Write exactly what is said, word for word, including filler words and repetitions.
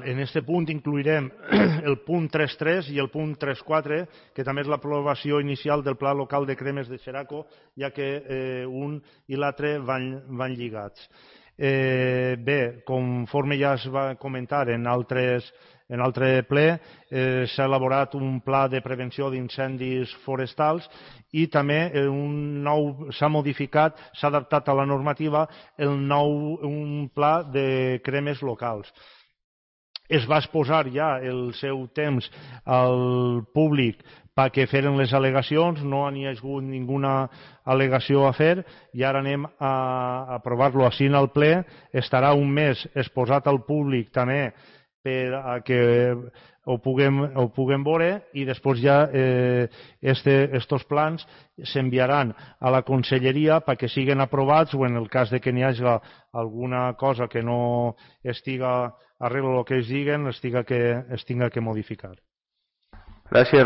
En aquest punt incluirem el punt tres punt tres i el punt tres punt quatre, que també és l'aprovació inicial del Pla Local de Cremes de Xeraco, ja que eh, un i l'altre van, van lligats. Eh, bé, conforme ja es va comentar en altres en altre ple, eh, s'ha elaborat un pla de prevenció d'incendis forestals i també eh, un nou s'ha modificat, s'ha adaptat a la normativa el nou un pla de cremes locals. Es va exposar ja el seu temps al públic perquè feren les al·legacions, no n'hi ha hagut ninguna al·legació a fer i ara anem a aprovar-lo així en el ple. Estarà un mes exposat al públic també per a que ho puguem, ho puguem veure i després ja eh, este, estos plans s'enviaran a la conselleria perquè siguin aprovats o en el cas de que n'hi hagi alguna cosa que no estiga arreglo el que ells diguen, es tinga que, es tinga que modificar. Gràcies,